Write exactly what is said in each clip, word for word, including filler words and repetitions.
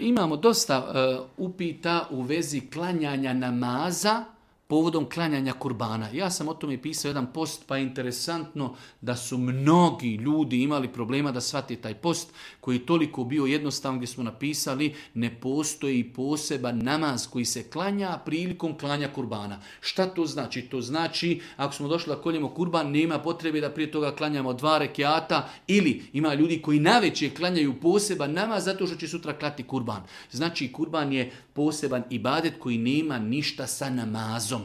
imamo dosta uh, upita u vezi klanjanja namaza povodom klanjanja kurbana. Ja sam o tome pisao jedan post, pa je interesantno da su mnogi ljudi imali problema da shvate taj post, koji je toliko bio jednostavan, gdje smo napisali ne postoji poseban namaz koji se klanja prilikom klanja kurbana. Šta to znači? To znači, ako smo došli da koljemo kurban, nema potrebe da prije toga klanjamo dva rekiata, ili ima ljudi koji navečer klanjaju poseban namaz zato što će sutra klati kurban. Znači, kurban je poseban ibadet koji nema ništa sa namazom.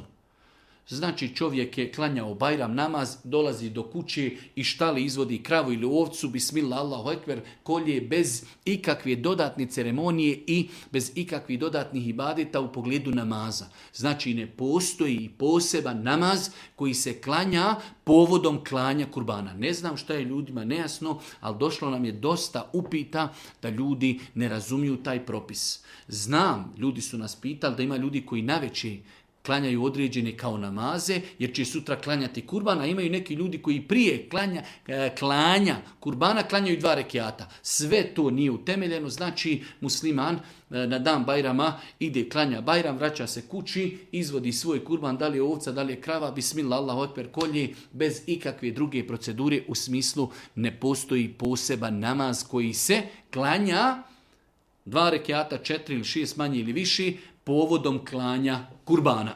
Znači, čovjek je klanjao Bajram namaz, dolazi do kuće i štali izvodi kravu ili ovcu, bismillah, Allahu ekber, kolje bez ikakve dodatne ceremonije i bez ikakvih dodatnih ibadeta u pogledu namaza. Znači, ne postoji poseban namaz koji se klanja povodom klanja kurbana. Ne znam šta je ljudima nejasno, ali došlo nam je dosta upita da ljudi ne razumiju taj propis. Znam, ljudi su nas pitali da ima ljudi koji navečer klanjaju određene kao namaze, jer će sutra klanjati kurbana, a imaju neki ljudi koji prije klanja, klanja kurbana klanjaju dva rekiata. Sve to nije utemeljeno, znači musliman na dan Bajrama ide klanja Bajram, vraća se kući, izvodi svoj kurban, da li je ovca, da li je krava, bismillah, Allahu ekber, kolje, bez ikakve druge procedure, u smislu ne postoji poseban namaz koji se klanja dva rekiata, četiri ili šest manje ili više, povodom klanja kurbana.